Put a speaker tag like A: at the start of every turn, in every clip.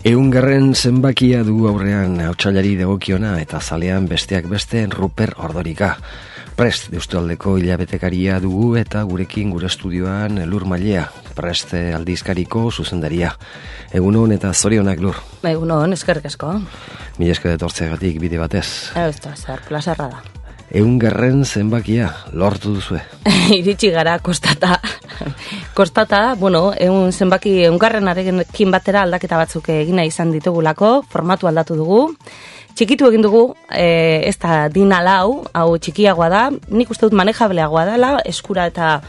A: Ehungarren zenbakia dugu aurrean hautsailari dagokiona eta zalean besteak beste Ruper Ordorika. Prest Deustualdeko hilabetekaria dugu eta gurekin gure estudioan Lur Mailea, Prest aldizkariko zuzendaria. Egunon eta zorionak, Lur.
B: Egunon, eskerrik asko.
A: Mila esker etortzeagatik bide batez.
B: Ez da, zer, plazerra da.
A: Ehungarren zenbakia lortu duzue.
B: Iritsi gara kostata. Kostata, bueno, ehungarrenarekin batera aldaketa batzuk egina izan ditugulako, formatu aldatu dugu. Txikitu egin dugu, ez da dina lau, hau txikiagoa da, nik uste dut manejableagoa dela, eskura eta,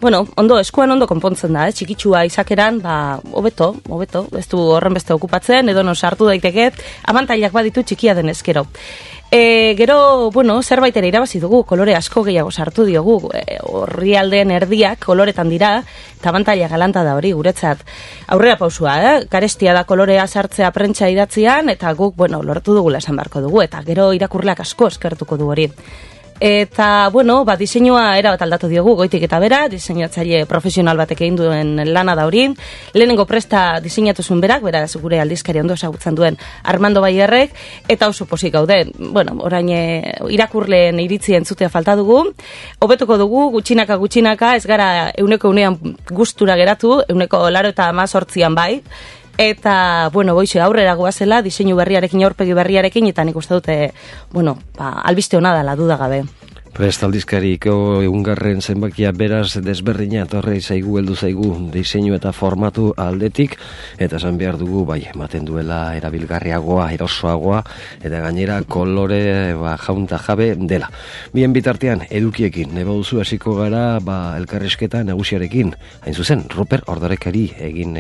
B: bueno, eskuan ondo konpontzen da, txikitsua izakeran, hobeto, ez du horren beste okupatzen, edo no sartu daiteke, abantailak baditu txikia den eskero. Gero, bueno, zerbait ere irabazi dugu, kolore asko gehiago sartu diogu, orrialdeen erdiak koloretan dira, eta abantaila galanta da hori, guretzat. Aurrera pausua, garestia da kolorea sartzea prentsa idatzian, eta guk, bueno, lortu dugula esan beharko dugu, eta gero irakurleak asko eskertuko du hori. Eta, bueno, diseinua erabat aldatu diogu, goitik eta bera, diseinatzaile profesional batek egin duen lana da hori. Lehenengo presta diseinatu zuen berak, beraz gure aldizkari ondo ezagutzen duen Armando Baierrek, eta oso pozik gaude. Bueno, orain irakurleen iritzi entzutea falta dugu. Hobetuko dugu, gutxinaka, ez gara euneko gustura geratu, 98an bai. Eta, bueno, boixe, aurrera goazela, diseinu berriarekin, aurpegi berriarekin, eta nik uste dute, bueno, albiste hona dela, duda gabe.
A: Prest aldizkariko ehungarren zenbakia beraz desberdina etorri zaigu, heldu zaigu diseinu eta formatu aldetik, eta esan behar dugu, bai, ematen duela erabilgarriagoa, erosoagoa, eta gainera kolore jaunta jabe dela. Bien bitartean, edukiekin, neba duzu hasiko gara, elkarrizketa nagusiarekin, hain zuzen, Ruper Ordorikari egin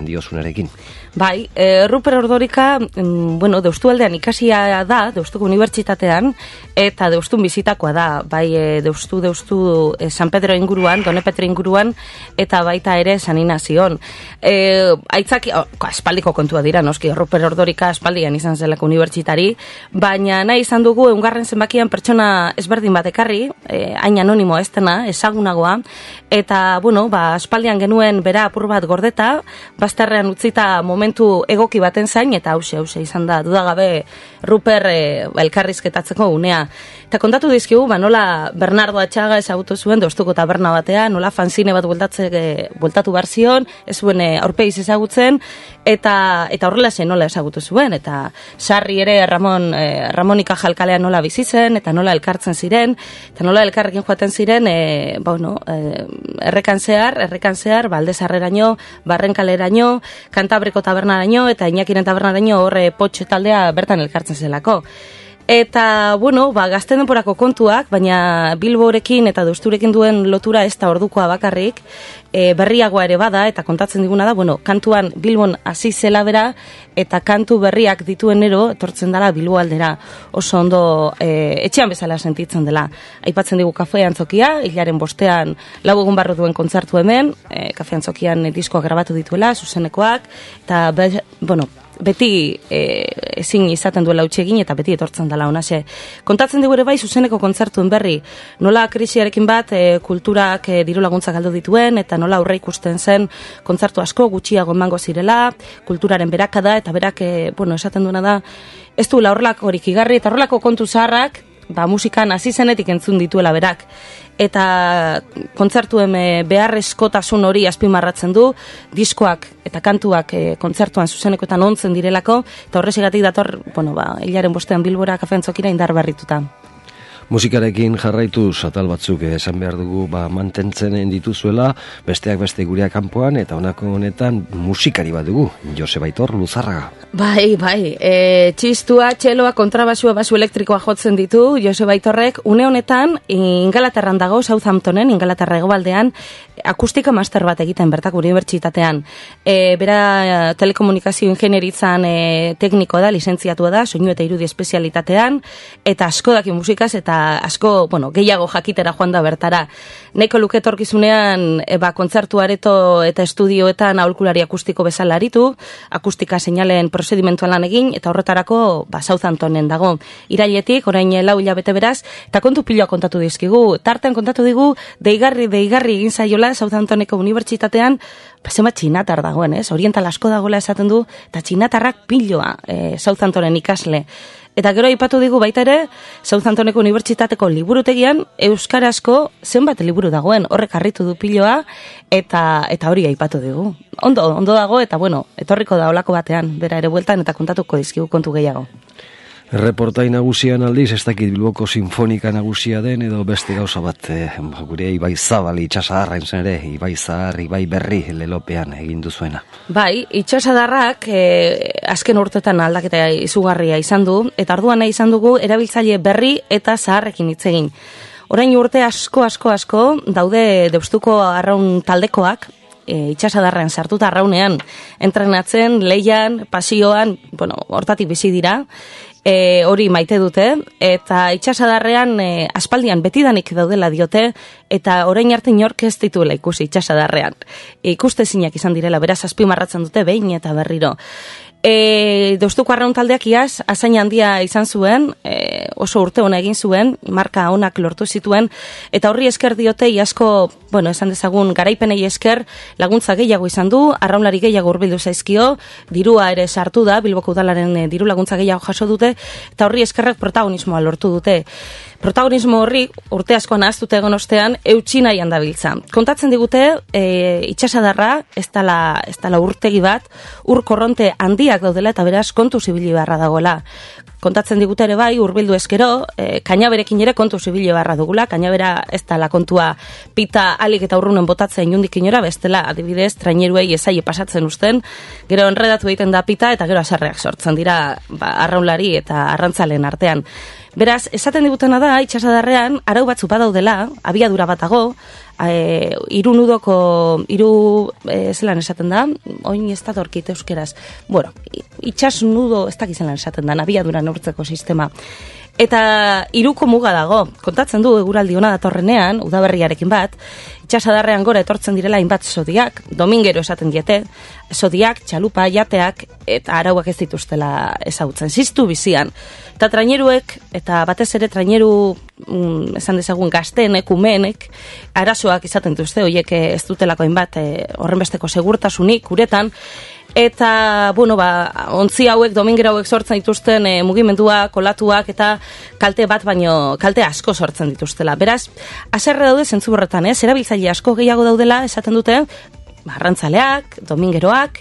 A: diozunarekin. Bai,
B: Ruper Ordorika, bueno, Deustualdean ikasia da, Deustuko Unibertsitatean, eta Deustun bizitakoa da, bai Deustu San Pedro inguruan, Done Petre inguruan, eta baita ere San Inazion. Aitzaki, espaldiko kontua dira, noski, Ruper Ordorika espaldian izan zelako unibertsitari, baina nahi izan dugu ehungarren zenbakian pertsona ezberdin bat ekarri, hain anonimoa ez dena, ezagunagoa, eta, bueno, espaldian genuen bera apur bat gordeta, bazterrean utzita momentu egoki baten zain, eta hause izan da, dudagabe Ruper elkarrizketatzeko unea. Eta kontatu dizkigu, nola Bernardo Atxaga ezagutu zuen Deustuko taberna batean, nola fanzine bat bueltatu behar zion, ez zuen aurpegiz ezagutzen, eta horrela zen nola ezagutu zuen, eta sarri ere Ramonika Jalkalean nola bizi zen, eta nola elkartzen ziren, eta nola elkarrekin joaten ziren, errekan zehar, Baldezarreraino, Barrenkaleraino, Kantabriko tabernaraino, eta Iñakiren tabernaraino horre potxe taldea bertan elkartzen zelako. Eta, bueno, gazte denporako kontuak, baina Bilborekin eta Deusturekin duen lotura ez da ordukoa bakarrik, berriagoa ere bada, eta kontatzen diguna da, bueno, kantuan Bilbon hasi zela bera, eta kantu berriak dituen ero, etortzen dela Bilbo aldera, oso ondo etxean bezala sentitzen dela. Aipatzen digu Kafe Antzokia, hilaren bostean 4 egun barru duen kontzertu hemen, Kafe Antzokian diskoak grabatu dituela, zuzenekoak, eta, bueno, beti ezin izaten duela utxegin eta beti etortzen dela honase. Kontatzen dugu ere bai zuzeneko kontzertuen berri, nola krisiarekin bat kulturak diru laguntzak galdu dituen eta nola aurre ikusten zen kontzertu asko gutxiago emango zirela, kulturaren berakada eta berak, bueno, esaten duena da, ez du horrelako horik igarri eta horrelako kontu zaharrak, musikan hasi zenetik entzun dituela berak. Eta kontzertuen beharrezkotasun hori azpimarratzen du, diskoak eta kantuak kontzertuan zuzenekoetan ontzen direlako, eta horrezigatik dator, bueno, hilaren bostean Bilbora Kafe Antzokira indar berrituta.
A: Musikarekin jarraituz atal batzuk esan behar dugu mantentzen dituzuela, besteak beste gureak kanpoan, eta honako honetan musikari bat dugu, Joseba Aitor Luzarraga.
B: Bai, txistua, txeloa, kontrabasua, basu elektrikoa jotzen ditu, Joseba Aitorrek, une honetan, Ingalaterran dago, Southamptonen, Ingalaterra hegoaldean, akustika master bat egiten bertako unibertsitatean. Bera telekomunikazio ingenieritzan teknikoa da, lizentziatua da, soinu eta irudi espezialitatean, eta asko daki musikaz, eta eta asko, gehiago jakitera joan da bertara. Nahiko luke etorkizunean kontzertu areto eta estudioetan aholkulari akustiko bezala aritu, akustika seinalen prozedimentuan lan egin, eta horretarako Southamptonen dago. Irailetik, orain 4 hilabete beraz, eta kontu piloa kontatu dizkigu. Tartean kontatu digu, deigarri egin zaiola Southamptoneko unibertsitatean, zenbat txinatar dagoen, oriental asko dagoela esaten du, eta txinatarrak piloa Southamptonen ikasle. Eta gero aipatu digu baita ere, Southamptoneko unibertsitateko liburutegian euskarazko zenbat liburu dagoen, horrek harritu du piloa, eta hori aipatu digu. Ondo dago, eta etorriko da olako batean, bera ere bueltan, eta kontatuko dizkigu kontu gehiago.
A: Reportai nagusian aldiz, ez dakit Bilboko sinfonika nagusia den, edo beste gauza bat, gure Ibai Zabal itxasadarra entzen ere, Ibai Zahar, Ibai Berri lelopean egin duzuena.
B: Bai, itxasadarrak azken urtetan aldaketa izugarria izan du, eta orduan nahi izan dugu erabiltzaile berri eta zaharrekin hitz egin. Orain urte asko daude Deustuko arraun taldekoak, itxasadarrean sartuta arraunean, entrenatzen, leian, pasioan, hortatik bizi dira, hori maite dute, eta itxasadarrean aspaldian betidanik daudela diote, eta orain arte inork ez dituela ikusi itxasadarrean. Ikustezinak izan direla, beraz azpimarratzen dute behin eta berriro. Deustuko arraun taldeak iaz, azain handia izan zuen, oso urte ona egin zuen, marka onak lortu zituen, eta horri esker diote iazko, esan dezagun, garaipenei esker laguntza gehiago izan du, arraunlari gehiago hurbildu zaizkio, dirua ere sartu da, Bilboko udalaren diru laguntza gehiago jaso dute, eta horri eskerrak protagonismoa lortu dute. Protagonismo horri urte asko nahaztute egon ostean eutsi nahian dabiltza. Kontatzen digute, itxasadarra, ez dela urtegi bat, ur korronte handiak daudela eta beraz kontu zibili beharra dagoela. Kontatzen digute ere bai, hurbildu eskero, kainaberekin ere kontu zibili beharra dugula, kainabera ez dela kontua pita alik eta urrunen botatzen inundik inora, bestela adibidez, traineruei ezaile pasatzen usten, gero enredatu egiten da pita eta gero aserreak sortzen dira arraunlari eta arrantzalen artean. Beraz, esaten digutena da, itxasadarrean, arau batzu badaudela, abiadura batago, zelan esaten da, oin ez da dorkit euskeraz. Itxas nudo, ez dakiz zelan esaten da, abiadura neurtzeko sistema. Eta 3 muga dago, kontatzen du eguraldi ona datorrenean, udaberriarekin bat, itxasadarrean gora etortzen direla hainbat zodiak, domingero esaten diete, zodiak, txalupa, jateak, eta arauak ez dituztela ezagutzen, ziztu bizian. Eta traineruek, eta batez ere traineru, esan dezagun gazteenek, umeenek, arazoak izaten duzte, horiek ez dutelako hainbat, horrenbesteko segurtasunik, uretan, eta, ontzi hauek, domingero hauek sortzen dituzten mugimendua, kolatuak eta kalte bat baino, kalte asko sortzen dituztela. Beraz, haserre daude zentzu horretan, erabiltzaile asko gehiago daudela, esaten dute, arrantzaleak, domingeroak,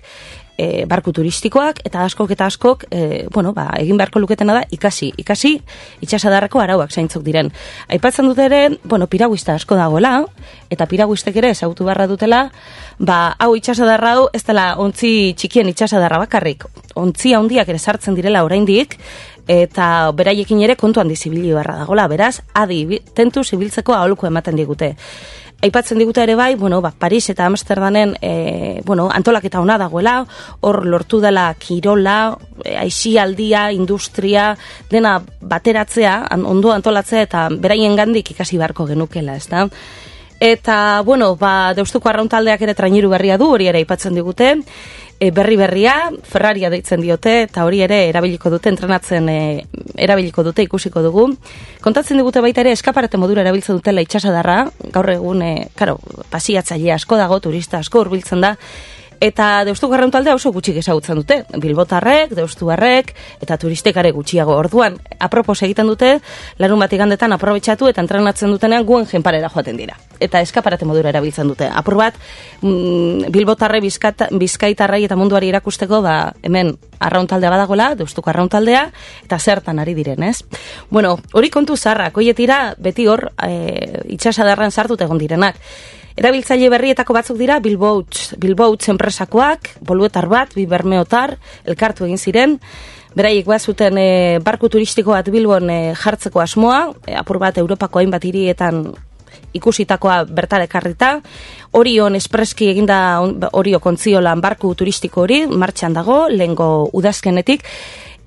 B: barku turistikoak, eta askok, egin beharko luketena da, ikasi itxasadarreko arauak zaintzuk diren. Aipatzen dute ere, piraguista asko dagoela, eta piraguistek ere ezagutu beharra dutela, hau itxasadarra hau, ez dela ontzi txikien itxasadarra bakarrik, ontzi handiak ere sartzen direla oraindik, eta beraiekin ere kontuan dizibili beharra dagoela, beraz, tentu zibiltzeko aholku ematen digute. Aipatzen digute ere bai, Paris eta Amsterdamen, antolaketa ona dagoela, hor lortu dela kirola, aisialdia, industria, dena bateratzea, ondo antolatzea eta beraien gandik ikasi beharko genukela, ezta? Eta, Deustuko arraun taldeak ere traineru berria du, hori ere aipatzen digute, berria, Ferraria deitzen diote, eta hori ere erabiliko dute, entrenatzen erabiliko dute, ikusiko dugu. Kontatzen digute baita ere, eskaparate modura erabiltzen dutela itxasadarra, gaur egun, pasiatzaile asko dago, turista asko hurbiltzen da, eta Deustuko arraun taldea oso gutxik ezagutzen dute, bilbotarrek, deustuarrek, eta turistekare gutxiago. Orduan, apropos egiten dute, larun bat igandetan aprobetxatu eta entrenatzen dutenean guen jenparera joaten dira. Eta eskaparate modura erabiltzen dute. Apur bat, bilbotarre, bizkaitarrai eta munduari erakusteko, hemen arraun taldea badagoela, Deustuko arraun taldea, eta zertan ari diren, ez? Hori kontu zaharrak, hoietira beti hor itxasadarran sartut egon direnak. Erabiltzaile berrietako batzuk dira Bilboutz enpresakoak, boluetar bat, bi bermeotar, elkartu egin ziren, beraiek bazuten barku turistiko bat Bilbon jartzeko asmoa, apur bat Europako hainbat hirietan ikusitakoa bertara ekarrita, Orion espreski eginda Orio kontziolan barku turistiko hori, martxan dago, lehengo udazkenetik,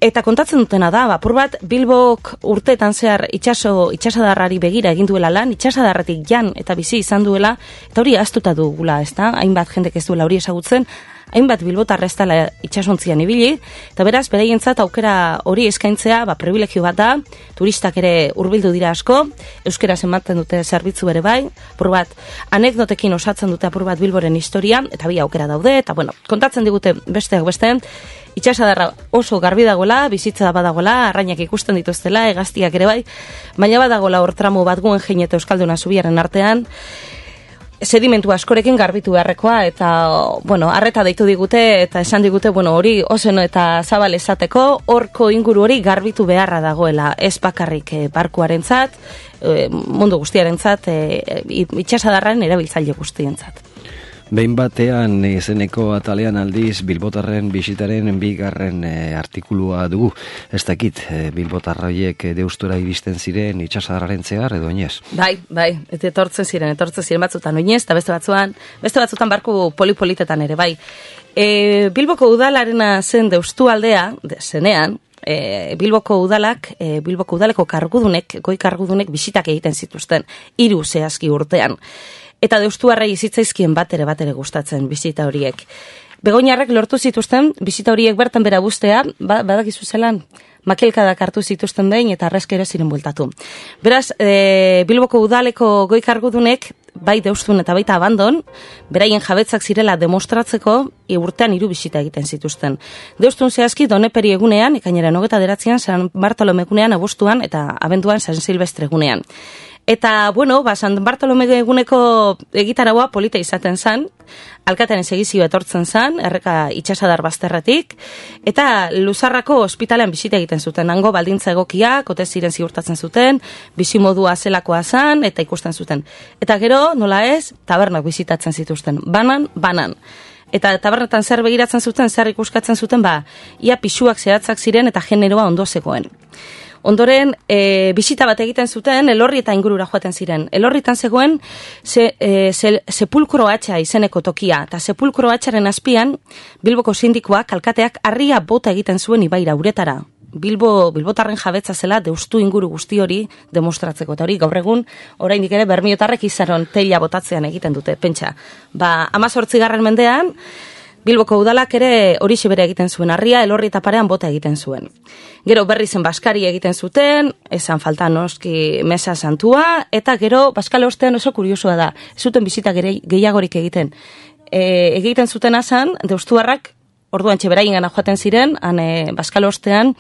B: Eta kontatzen dutena da, apur bat Bilbok urteetan zehar itxasadarrari begira egin duela lan, itxasadarratik jan eta bizi izan duela, eta hori ahaztuta dugula, ezta? Hainbat jendek ez duela hori ezagutzen, hainbat bilbotarra ez dela itxasontzian ibili, eta beraz, beraientzat aukera hori eskaintzea, privilegio bat da, turistak ere hurbildu dira asko, euskeraz ematen dute zerbitzu ere bai, apur bat, anekdotekin osatzen dute apur bat Bilboren historia, eta bi aukera daude, eta bueno, kontatzen digute besteak beste, itxasadarra oso garbi dagoela, bizitza badagoela, arrainak ikusten dituztela, hegaztiak ere bai, baina badagoela hor tramo bat Guggenheim eta Euskalduna Zubiaren artean, sedimentu askorekin garbitu beharrekoa, eta, bueno, arreta deitu digute, eta esan digute, bueno, hori oseno eta zabal esateko, horko inguru hori garbitu beharra dagoela, ez bakarrik barkuarentzat, mundu guztiarentzat, itxasadarraren erabiltzaile guztientzat.
A: Behin batean izeneko atalean aldiz Bilbotarren bisitaren bigarren artikulua dugu. Ez dakit, Bilbotarroiek deustura iristen ziren itxasadarraren zehar edo oinez?
B: Bai, eta etortzen ziren batzutan oinez, eta beste batzutan barku polipolitetan ere, bai. Bilboko udalarena zen deustu aldea, zenean, Bilboko udaleko kargudunek, goi kargudunek bisitak egiten zituzten, 3 zehazki urtean. Eta deustuarrei zitzaizkien bat ere gustatzen bizita horiek. Begoñarrek lortu zituzten bizita horiek bertan bera bustea, badakizu zelan, makelkadak hartu zituzten behin eta arrezkero ziren bueltatu. Beraz, Bilboko udaleko goi kargudunek, bai deustun eta baita abandon, beraien jabetzak zirela demostratzeko, urtean 3 bisita egiten zituzten. Deustun zehazki Doneperi egunean, ekainaren 29an, San Bartolome egunean, abuztuan eta abenduan San Silvestre egunean. Eta, bueno, San Bartolome eguneko egitaragoa polita izaten zan, alkatearen segizio etortzen zan, erreka itxasadar bazterretik, eta Luzarrako ospitalean bisita egiten zuten, hango baldintza egokiak, ote ziren ziurtatzen zuten, bizimodua zelakoa zan, eta ikusten zuten. Eta gero, nola ez, tabernak bisitatzen zituzten, banan. Eta tabernetan zer begiratzen zuten, zer ikuskatzen zuten, ia pisuak zehatzak ziren eta generoa ondo zegoen. Ondoren, bisita bat egiten zuten, Elorri eta ingurura joaten ziren. Elorritan zegoen Sepulkro Hatxa izeneko tokia, eta Sepulkro Hatxaren azpian, Bilboko sindikoak, alkateak, harria bota egiten zuen ibaira uretara. Bilbotarren jabetza zela deustu inguru guzti hori demostratzeko. Eta hori gaur egun, oraindik ere bermiotarrek izaron teila botatzean egiten dute, pentsa. 18. mendean, Bilboko udalak ere horixe bere egiten zuen, harria Elorri eta parean bota egiten zuen. Gero berri zen Baskari egiten zuten, esan falta noski Mesa Santua, eta gero Baskale ostean oso kuriosoa da, ez zuten bizita gehiagorik egiten. Egiten zuten azan, deustuarrak, orduan txeberaien gana joaten ziren, Baskale ostean,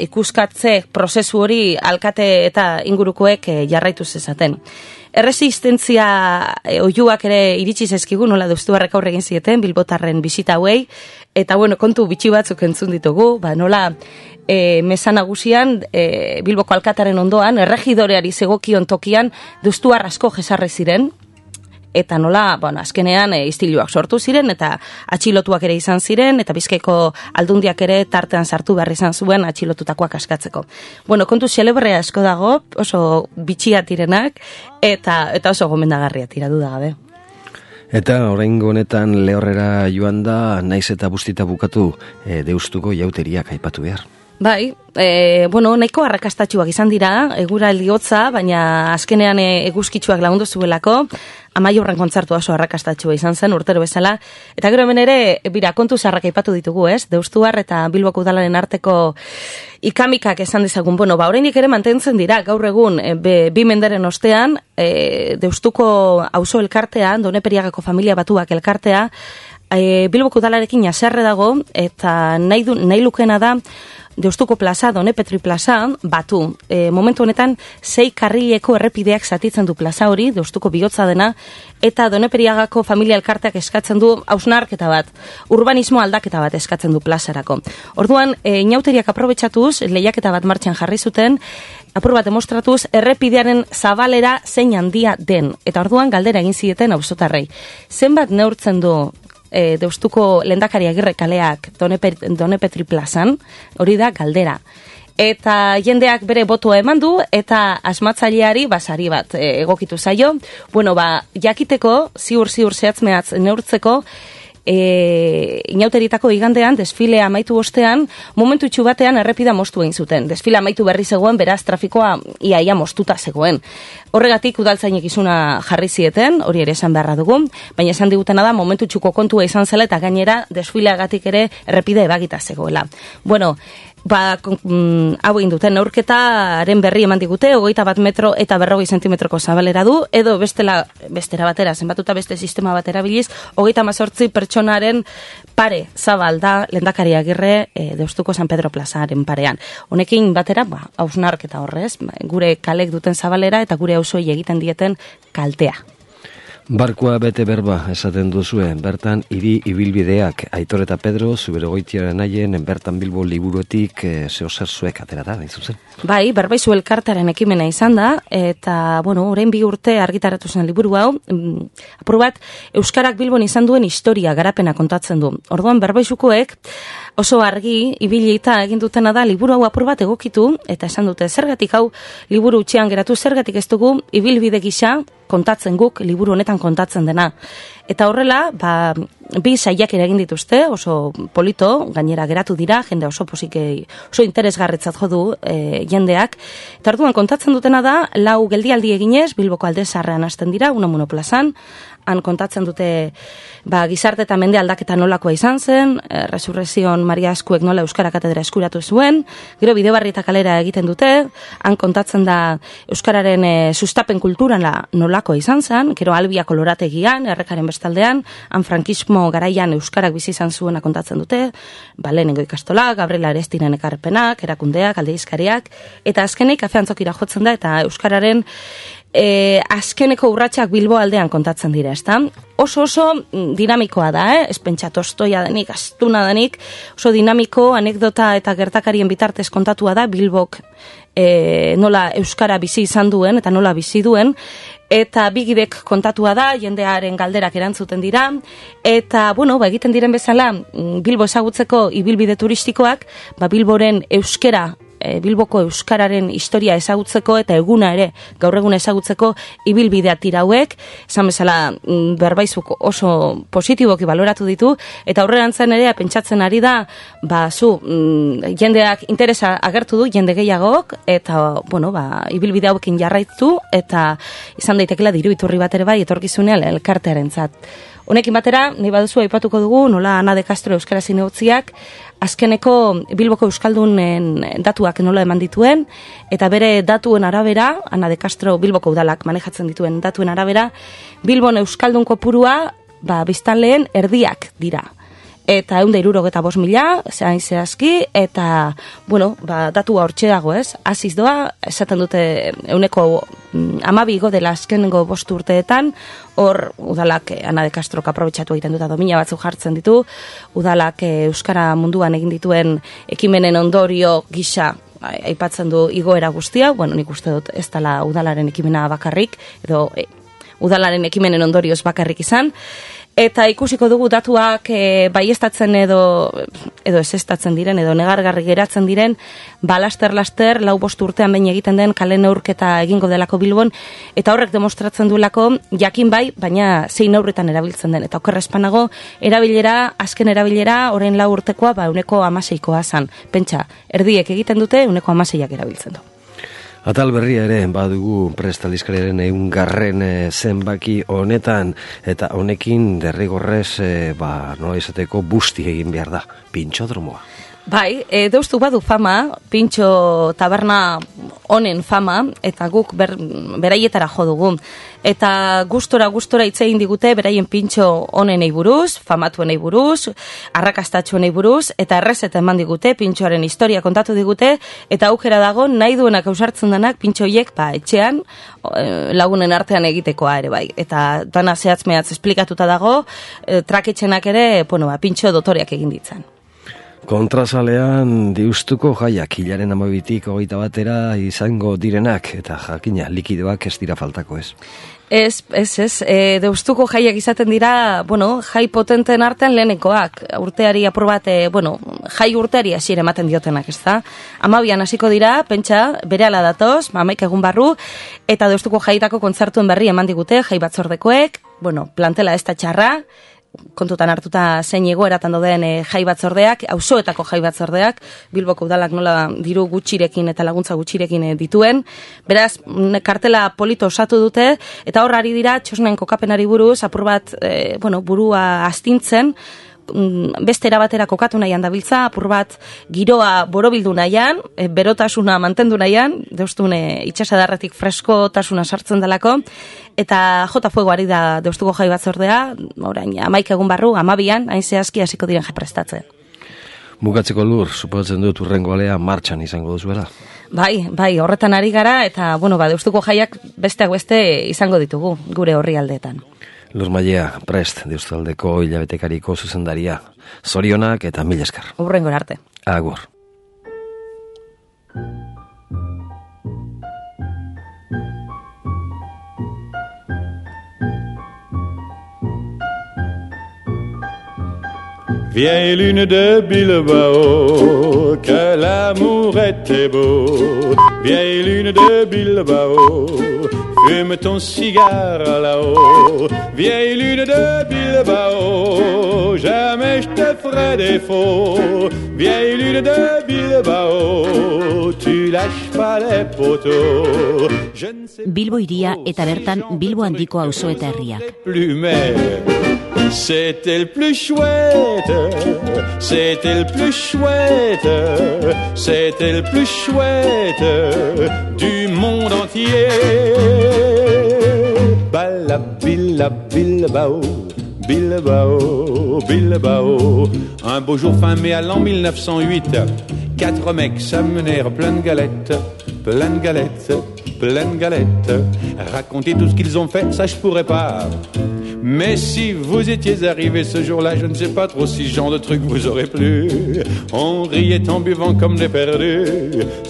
B: ikuskatze prozesu hori alkate eta ingurukoek jarraitu zezaten. Erresistentzia oiuak ere iritsi zaizkigu, nola deustuarrek aurre egin zieten, Bilbotarren bisita hauei, eta kontu bitxi batzuk entzun ditugu, nola Mesa Nagusian, Bilboko alkataren ondoan, erregidoreari zegokion tokian, deustuar asko jesarri ziren, eta nola, azkenean istiluak sortu ziren, eta atxilotuak ere izan ziren, eta Bizkaiko aldundiak ere tartean sartu behar izan zuen atxilotutakoak askatzeko. Kontu xelebrea asko dago, oso bitxia direnak, eta oso gomendagarria tira duda gabe.
A: Eta oraingo honetan lehorrera joan da, naiz eta bustita bukatu deustuko jauteriak aipatu behar.
B: Bai, nahiko arrakastatxuak izan dira, eguraldi hotza, baina azkenean eguzkitsuak lagundu zuelako, Amaiurren kontzertu oso arrakastatxua izan zen, urtero bezala, eta gero hemen ere, kontu zarrak aipatu ditugu, ez? Deustuar eta Bilboko udalaren arteko ikamikak esan dezagun, oraindik ere mantentzen dira, gaur egun, 2 menderen ostean, Deustuko auzo elkartea, Doneperiagako familia batuak elkartea, Bilboko udalarekin jaserre dago, eta nahi lukena da, Deustuko plaza, Donepetri plaza, batu. Momentu honetan, 6 karrileko errepideak zatitzen du plaza hori, Deustuko bihotza dena, eta Doneperiagako familia elkarteak eskatzen du hausnarketa bat, urbanismo aldaketa bat eskatzen du plazarako. Orduan, inauteriak aprobetxatuz, lehiaketa bat martxan jarri zuten, apur bat demostratuz, errepidearen zabalera zein handia den. Eta orduan, galdera egin zieten auzotarrei. Zenbat neurtzen du Deustuko lehendakari Agirre kaleak Donepetri plazan, hori da galdera. Eta jendeak bere botua eman du, eta asmatzaileari basari bat egokitu zaio. Jakiteko, ziur zehatz mehatz neurtzeko, inauteritako igandean, desfilea amaitu ostean, momentu itxu batean errepida moztu egin zuten. Desfilea amaitu berri zegoen, beraz trafikoa iaia moztuta zegoen. Horregatik udaltzainek izuna jarri zieten, hori ere esan beharra dugu, baina esan digutena da momentu txuko kontua izan zela eta gainera desfileagatik ere errepide ebagita zegoela. Bueno, hau egin duten neurketaren berri eman digute, 21 metro eta 40 zentimetroko zabalera du, edo bestera batera, zenbatuta beste sistema batera biliz, 38 pertsonaren pare zabal da Lehendakari Agirre Deustuko San Pedro plazaren parean. Honekin batera, hausnarketa horrez, gure kalek duten zabalera eta gure auzoi egiten dieten kaltea.
A: Barkua bete berba esaten duzue, bertan hiri ibilbideak Aitor eta Pedro Zuberogoitiaren haien bertan Bilbo liburuetik zeozer zuek aterata, nahi zuzen?
B: Bai, Berbaizu elkartearen ekimena izan da, eta, orain 2 urte argitaratu zen liburu hau, apur bat, Euskarak Bilbon izan duen historia garapena kontatzen du. Orduan, Berbaizukoek oso argi, ibili eta egin dutena da, liburu hau apur bat egokitu, eta esan dute, zergatik hau liburu utxean geratu, zergatik ez dugu ibilbide gisa kontatzen guk, liburu honetan kontatzen dena. Eta horrela, 2 saiakera egin dituzte, oso polito, gainera geratu dira, jende oso oso interesgarritzat jo du jendeak. Eta orduan kontatzen dutena da, 4 geldialdi eginez, Bilboko Alde Zaharrean hasten dira, Unamuno plazan, han kontatzen dute gizarte eta mende aldaketa nolakoa izan zen, Resurrezion Maria Eskuek nola Euskara Katedra eskuratu zuen, gero Bidebarrieta kalera egiten dute, han kontatzen da Euskararen sustapen kulturan nolakoa izan zen, gero Albia Kolorategian, Errekaren bestaldean, han frankismo garaian Euskarak bizi izan zuena kontatzen dute, lehenengo ikastola, Gabriela Arestiren ekarpenak, erakundeak, aldizkariak, eta azkenik kafeantzokira jotzen da, eta Euskararen azkeneko urratsak Bilbo aldean kontatzen dira, ezta? Oso dinamikoa da, ez pentsa tostoia denik, astuna denik, oso dinamiko, anekdota eta gertakarien bitartez kontatua da Bilbok nola Euskara bizi izan duen eta nola bizi duen, eta bigidek kontatua da, jendearen galderak erantzuten dira, eta, egiten diren bezala, Bilbo ezagutzeko ibilbide turistikoak, Bilboren euskera, Bilboko euskararen historia ezagutzeko eta eguna ere gaur egun ezagutzeko ibilbidea tira hauek, esan bezala Berbaizuk oso positiboki baloratu ditu, eta aurrerantzen ere pentsatzen ari da, jendeak interesa agertu du, jende gehiagok, eta, ibilbide hauekin jarraitu, eta izan daitekela diru iturri bat ere bai etorkizunean elkartearentzat. Honekin batera, nahi baduzu aipatuko dugu, nola Ana de Castro Euskara Zinegotziak azkeneko Bilboko Euskaldunen datuak nola eman dituen, eta bere datuen arabera, Ana de Castro Bilboko udalak manejatzen dituen datuen arabera, Bilbon Euskaldun kopurua, biztanleen erdiak dira. Eta 175.000, zehain zehazki, eta, datua hortxe dago, ez? Aziz doa, esaten dute 12 igo dela azkenengo 5 urteetan, hor udalak Ana de Castrok aprobetxatu egiten dut, domina batzuk jartzen ditu, udalak Euskara munduan egin dituen ekimenen ondorio gisa aipatzen du igoera guztia, nik uste dut ez dela udalaren ekimena bakarrik, edo udalaren ekimenen ondorioz bakarrik izan, eta ikusiko dugu datuak baiestatzen edo ezeztatzen diren, edo negargarri geratzen diren, laster, 4-5 urtean behin egiten den kale neurketa egingo delako Bilbon, eta horrek demostratzen duelako jakin bai, baina zein neurretan erabiltzen den. Eta okerrezpanago, azken erabilera, orain 4 urtekoa, 16koa zan. Pentsa, erdiek egiten dute, 16ak erabiltzen du.
A: Atal berria ere, badugu prestalizkariaren 100. Zenbaki honetan, eta honekin derrigorrez, nola izateko busti egin behar da, pintxodromoa.
B: Bai, Deustu badu fama, pintxo taberna honen fama, eta guk beraietara jo dugu. Eta gustora hitz egin digute beraien pintxo honenei buruz, famatuenei buruz, arrakastatxuenei buruz, eta errezeta eman digute, pintxoaren historia kontatu digute, eta aukera dago nahi duenak ausartzen denak pintxoiek etxean lagunen artean egitekoa ere bai. Eta dana zehatz-mehatz esplikatuta dago, traketxenak ere, pintxo dotoreak egin ditzan.
A: Kontrasalean Deustuko jaiak hilaren 12-tik 21 izango direnak, eta jakina likidoak ez dira faltako, ez?
B: Ez. Deustuko jaiak izaten dira, jai potenten artean lehenekoak. Urteari apur bat, jai urteari hasiera ematen diotenak, ez da? 12an hasiko dira, pentsa, berehala datoz, 11 egun barru, eta Deustuko jaietako kontzertuen berri eman digute, jai batzordekoek, plantela ez da txarra, kontutan hartuta zein egoeratan dauden jai batzordeak, auzoetako jai batzordeak, Bilboko udalak nola diru gutxirekin eta laguntza gutxirekin dituen. Beraz, kartela polito osatu dute, eta hor ari dira txosnen kokapenari buruz, apur bat, burua astintzen, beste erabatera kokatu nahian dabiltza, apur bat giroa borobildu nahian, berotasuna mantendu nahian, deustune itxasadarretik freskotasuna sartzen delako, eta jota fuego ari da deustuko jai batzordea, orain 11 egun barru, 12an, hain zehazki hasiko diren prestatzen.
A: Bukatzeko Lur, suposatzen dut urrengo alea martxan izango duzuela.
B: Bai, horretan ari gara, eta deustuko jaiak besteak beste izango ditugu, gure horri aldeetan.
A: Lur Mailea, prest, Deustaldeko hilabetekariko zuzendaria. Zorionak eta mila esker.
B: Urrengora arte.
A: Agur.
C: Vieille lune de Bilbao, que l'amour était beau. Vieille lune de Bilbao, fume ton cigare là-haut. Vieille lune de Bilbao, jamais je te ferai défaut. Vieille lune de Bilbao, tu lâches pas les poteaux.
D: Bilbo iria eta bertan Bilbo handiko auzo eta herriak.
C: C'était le plus chouette, c'était le plus chouette, c'était le plus chouette du monde entier. Bala, billa, Bilbao, Bilbao, Bilbao. Un beau jour fin mai à l'an 1908, 4 mecs s'amenèrent plein de galettes, plein de galettes, plein de galettes. Raconter tout ce qu'ils ont fait, ça je pourrais pas. Mais si vous étiez arrivés ce jour-là, je ne sais pas trop si ce genre de truc vous aurait plu. On riait en buvant comme des perdus.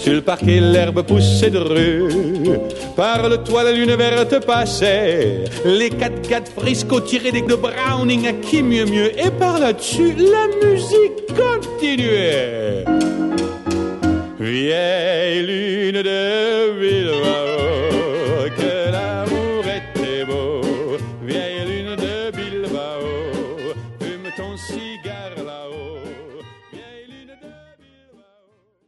C: Sur le parquet, l'herbe poussait de rue. Par le toit, la lune verte passait. Les 4 gars de Frisco tiraient des de Browning à qui mieux mieux. Et par là-dessus, la musique continuait. Vieille lune de Bilbao, que l'amour était beau. Vieille lune de Bilbao, fume ton cigare.